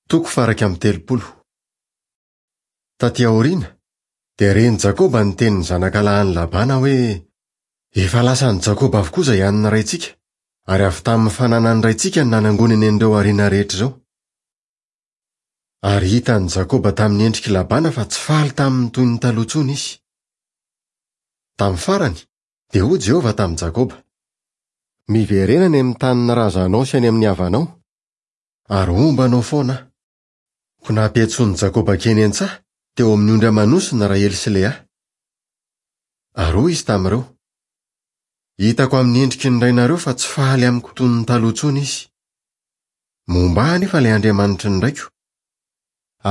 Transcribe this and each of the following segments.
Toko faha 31. Tatỳ aoriana, dia ren'i Jakoba ny tenin'ny zanakalahin'i Labana hoe, Efa lasan'i Jakoba avokoa izay an'ny raintsika, ary avy tamin'ny fananan'ny raintsika no nanangonany an'ireo harena rehetra ireo. Ary hitan'i Jakoba tamin'ny endrik'i Labana fa tsy faly taminy toy ny taloha intsony izy. Tamin'ny farany, dia hoy Jehovah tamin'i Jakoba, Miverena any amin'ny tanin'ny razanao sy any amin'ny havanao, ary homba anao foana aho. Koa nampiantsoan'i Jakoba hankeny an-tsaha, teo amin'ny ondry aman'osy ny Rahely sy Lea. Ary hoy izy tamin'ireo, Hitako amin'ny endriky ny rainareo fa tsy faly amiko toy ny taloha intsony izy. Momba ahy anefa ilay Andriamanitry ny raiko.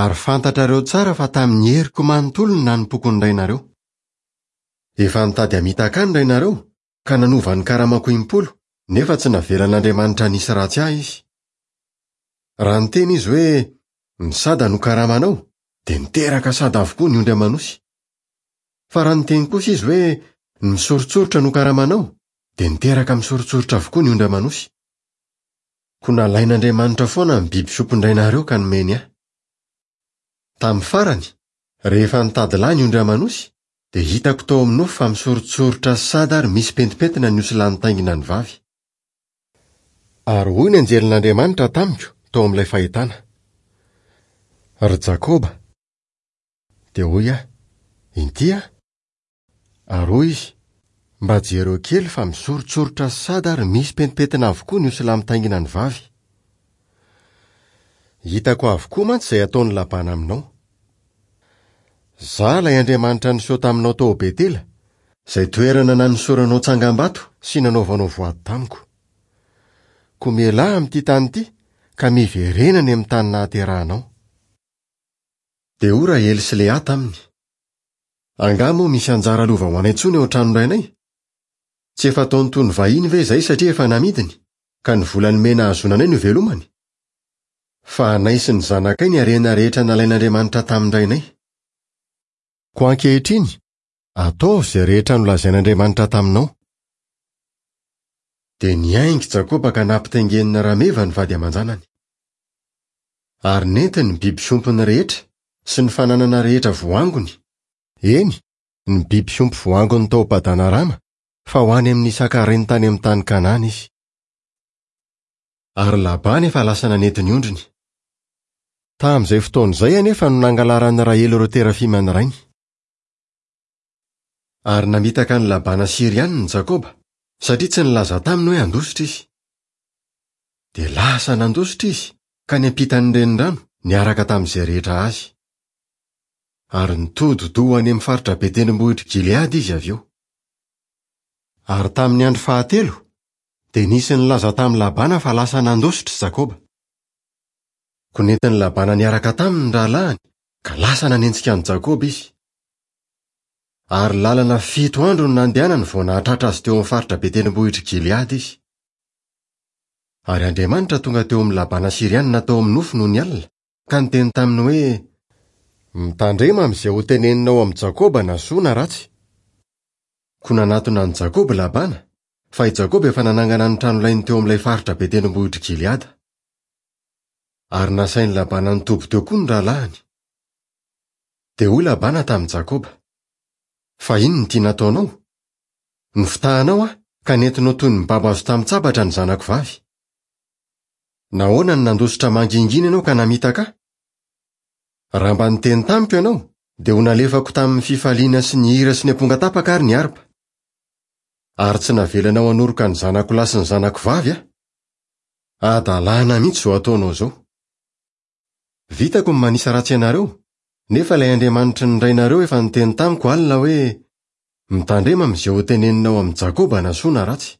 Ary fantatrareo tsara fa tamin'ny heriko manontolo no nanompoako ny rainareo. Efa nitady hamitaka ahy ny rainareo, ka nanova ny karamako impolo, nefa tsy navelan'Andriamanitra hanisy ratsy ahy izy. Raha niteny izy hoe, Ny sada no karamanao, dia niteraka sada avokoa ny ondry aman'osy. Fa raha niteny kosa izy hoe, Ny misoritsoritra no karamanao, dia niteraka misoritsoritra avokoa ny ondry aman'osy. Koa nalain'Andriamanitra foana ny biby fiompin-drainareo ka nomeny ahy. Tamin'ny farany, rehefa nitady lahy ny ondry aman'osy, dia hitako tao amin'ny nofy fa misoritsoritra sy sada ary misy pentimpentina ny osilahy nitaingina ny vavy. Ary hoy ny anjelin'Andriamanitra tamiko tao amin'ilay fahitana, Ry Jakoba! Dia hoy aho, Inty aho. Ary hoy izy, Mba jereo kely fa misoritsoritra sy sada ary misy pentimpentina avokoa ny osilahy mitaingina ny vavy. Hitako avokoa mantsy izay ataon'i Labana aminao. Izaho ilay Andriamanitra niseho taminao tao Betela, izay toerana nanosoranao tsangambato sy nanaovanao voady tamiko. Koa mialà amin'ity tany ity ka miverena any amin'ny tany nahaterahanao. Dia hoy Rahely sy Lea taminy, Angaha moa misy anjara lova ho anay intsony ao an-tranon-drainay? Tsy efa ataony toy ny vahiny ve izahay satria efa namidiny, ka ny vola nomena hahazoana anay no ivelomany? Fa anay sy ny zanakay ny harena rehetra nalain'Andriamanitra tamin-drainay. Koa ankehitriny, ataovy izay rehetra nolazain'Andriamanitra taminao. Dia niainga i Jakoba ka nampitaingenina rameva ny vady aman-janany. Ary nentiny ny biby fiompiny rehetra sy ny fananana rehetra voangony, eny, ny biby fiompy voangony tao Padanarama, fa ho any amin'i Isaka rainy tany amin'ny tany Kanana izy. Ary Labana efa lasa nanety ny ondriny. Tamin'izay fotoana izay anefa no nangalaran'i Rahely ireo terafima ny rainy. Ary namitaka an'i Labana Syrianina i Jakoba, satria tsy nilaza taminy hoe handositra izy. Dia lasa nandositra izy, ka niampita ny renirano, niaraka tamin'izay rehetra azy. Ary nitodi-doha ho any amin'ny faritra be tendrombohitr'i Gileada izy avy eo. Ary tamin'ny andro fahatelo, dia nisy nilaza tamin'i Labana fa lasa nandositra i Jakoba. Koa nentin'i Labana niaraka taminy ny rahalahiny, ka lasa nanenjika an'i Jakoba izy. Ary lalana fito andro no nandehanany vao nahatratra azy teo amin'ny faritra be tendrombohitr'i Gileada izy. Ary Andriamanitra tonga teo amin'i Labana Syrianina tao amin'ny nofy nony alina, ka niteny taminy hoe, Mitandrema amin'izay hoteneninao amin'i Jakoba na soa na ratsy. Koa nanatona an'i Jakoba i Labana, fa i Jakoba efa nanangana ny tranolainy teo amin'ilay faritra be tendrombohitr'i Gileada. Ary nasain'i Labana nitoby teo koa ny rahalahiny. Dia hoy Labana tamin'i Jakoba, Fa inona ity nataonao? Nofitahanao aho, ka nentinao toy ny babo azo tamin-tsabatra ny zanako vavy. Nahoana no nandositra mangingina ianao ka namitaka ahy? Raha mba niteny tamiko ianao, dia ho nalefako tamin'ny fifaliana sy ny hira sy ny ampongatapaka ary ny harpa. Ary tsy navelanao hanoroka ny zanako lahy sy ny zanako vavy aho. Hadalana mihitsy izao ataonao izao. Vitako ny manisa ratsy anareo, nefa ilay Andriamanitry ny rainareo efa niteny tamiko alina hoe, 'Mitandrema amin'izay hoteneninao amin'i Jakoba na soa na ratsy.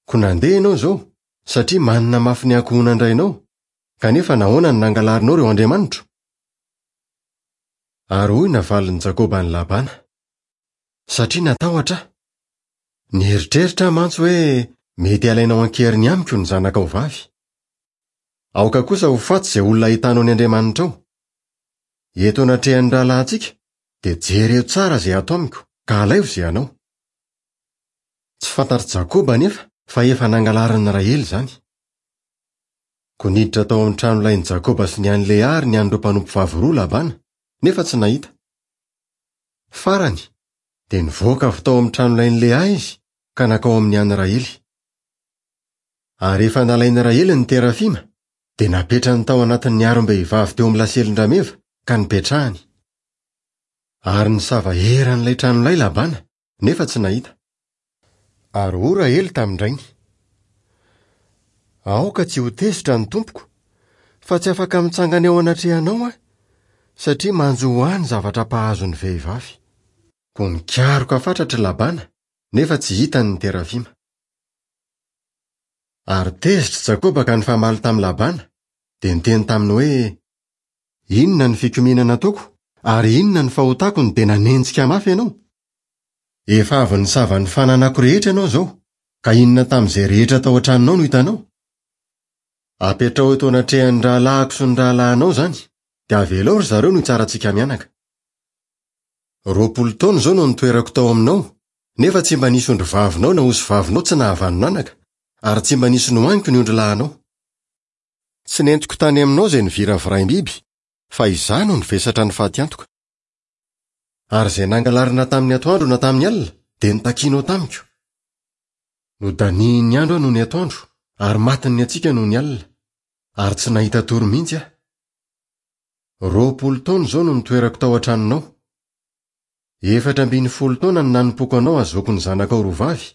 Koa nandeha ianao izao, satria manina mafy ny ankohonan-drainao, kanefa nahoana no nangalarinao ireo andriamanitro? Ary hoy navalin'i Jakoba an'i Labana, Satria natahotra aho. Nieritreritra aho mantsy hoe mety halainao an-keriny amiko ny zanakao vavy. Aoka kosa ho faty izay olona ahitanao ny Andriamanitrao. Eto anatrehan'ny rahalahintsika, dia jereo tsara izay ato amiko, ka alaivo izay anao. Tsy fantatr'i Jakoba anefa fa efa nangalarin'i Rahely izany. Koa niditra tao amin'ny tranolain'i Jakoba sy ny an'i Lea ary ny an'ireo mpanompovavy roa Labana, nefa tsy nahita. Farany, dia nivoaka avy tao amin'ny tranolain'i Lea izy ka nankao amin'ny an'i Rahely. Ary rehefa nalain'i Rahely ny terafima, dia napetrany tao anatin'ny harom-behivavy teo amin'ny laselin-drameva ka nipetrahany. Ary nisava eran'ilay tranolay Labana, nefa tsy nahita. Ary hoy Rahely tamin-drainy, Aoka tsy ho tezitra ny tompoko, fa tsy afaka mitsangana eo anatrehanao aho, satria manjo ho ahy ny zavatra mpahazo ny vehivavy. Koa nikaroka fatratra i Labana, nefa tsy hitany ny terafima. Ary tezitra Jakoba ka nifamaly tamin'i Labana, dia niteny taminy hoe, Inona ny fikomiana nataoko, ary inona ny fahotako no dia nanenjika mafy ianao? Efa avy nisava ny fananako rehetra ianao izao, ka inona tamin'izay rehetra tao an-tranonao no hitanao? Apetraho eto anatrehan'ny rahalahiko sy ny rahalahinao izany, dia avelao ry zareo no hitsara antsika mianaka. 20 taona izao no nitoerako tao aminao, nefa tsy mba nisy ondrivavinao na osivavinao tsy nahavanon'anaka, ary tsy mba nisy nohaniko ny ondrilahinao. Tsy nentiko tany aminao izay niviraviraim-biby, fa izaho no nivesatra ny fatiantoka. Ary izay nangalarina tamin'ny atoandro na tamin'ny alina dia notakianao tamiko. Nodanihin'ny andro aho nony atoandro, ary matin'ny hatsiaka nony alina, ary tsy nahita tory mihitsy aho. 20 taona izao no nitoerako tao an-tranonao. 14 taona no nanompoako anao hahazoako ny zanakao roa vavy,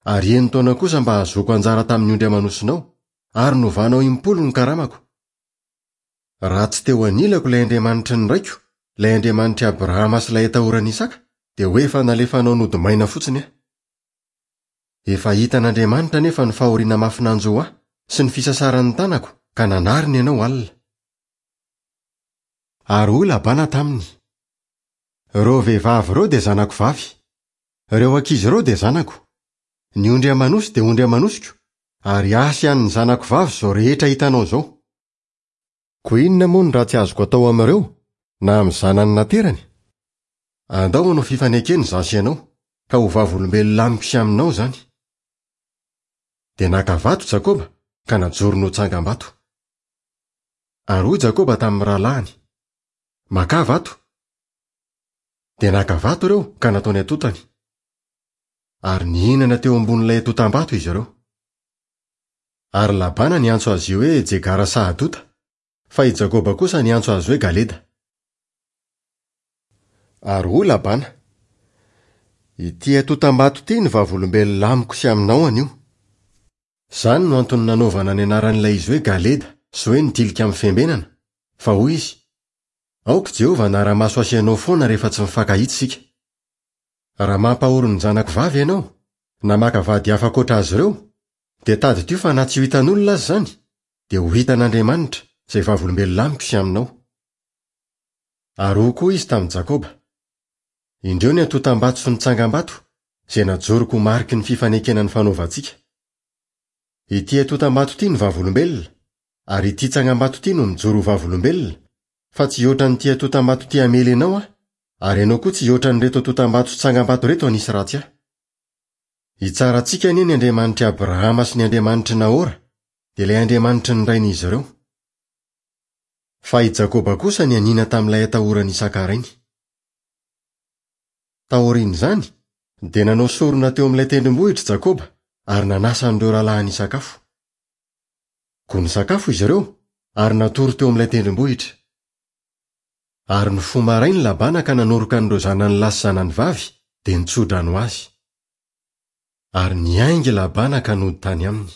ary enin-taona kosa mba hahazoako anjara tamin'ny ondry aman'osinao, ary novanao impolo ny karamako. Raha tsy teo anilako ilay Andriamanitry ny raiko, ilay Andriamanitr'i Abrahama sy ilay atahoran'i Isaka, dia ho efa nalefanao nody maina fotsiny aho. Efa hitan'Andriamanitra anefa ny fahoriana mafy nanjo ahy sy ny fisasaran'ny tanako, ka nanarina ianao alina. Ary hoy Labana taminy, Ireo vehivavy ireo dia zanako vavy. Ireo ankizy ireo dia zanako. Ny ondry aman'osy dia ondry aman'osiko, ary ahy sy an'ny zanako vavy izao rehetra hitanao izao. Koa inona moa no ratsy azoko atao amin'ireo, na amin'ny zanany naterany? Andao hanao fifanekena izaho sy ianao, ka ho vavolombelona amiko sy aminao izany. Dia naka vato Jakoba ka najorony ho tsangambato. Ary hoy Jakoba tamin'ny rahalahiny, Makà vato. Dia naka vato ireo ka nataony atontany. Ary nihinana teo ambonin'ilay atontam-bato izy ireo. Ary Labana niantso azy io hoe Jegara-sahadota, fa i Jakoba kosa niantso azy hoe Galeda. Ary hoy Labana, Ity atontam-bato ity no vavolombelona amiko sy aminao anio. Izany no antony nanaovana ny anaran'ilay izy hoe Galeda sy hoe ny Tilikambo Fiambenana, fa hoy izy, Aoka i Jehovah hanara-maso ahy sy ianao foana rehefa tsy mifankahita isika. Raha mampahory ny zanako vavy ianao, na maka vady hafa ankoatra azy ireo, dia tadidio fa na tsy ho hitan'olona aza izany, dia ho hitan'Andriamanitra, izay vavolombelona amiko sy aminao. Ary hoy koa izy tamin'i Jakoba, Indreo ny antontam-bato sy ny tsangambato, izay najoroko ho mariky ny fifanekena nifanaovantsika. Ity antontam-bato ity no vavolombelona, ary ity tsangambato ity no mijoro ho vavolombelona, fa tsy hihoatra an'ity antontam-bato ity hamely anao aho, ary ianao koa tsy hihoatra an'ireto antontam-bato sy tsangambato ireto hanisy ratsy ahy. Hitsara antsika anie ny Andriamanitr'i Abrahama sy ny Andriamanitr'i Nahora, dia ilay Andriamanitry ny rain'izy ireo. Fa i Jakoba kosa nianiana tamin'ilay atahoran'i Isaka rainy. Taorian'izany, dia nanao sorona teo amin'ilay tendrombohitra Jakoba ary nanasa an'ireo rahalahiny hisakafo. Koa nisakafo izy ireo ary natory teo amin'ilay tendrombohitra. Ary nifoha maraina i Labana ka nanoroka an'ireo zanany lahy sy zanany vavy, dia nitso-drano azy. Ary niainga i Labana ka nody tany aminy.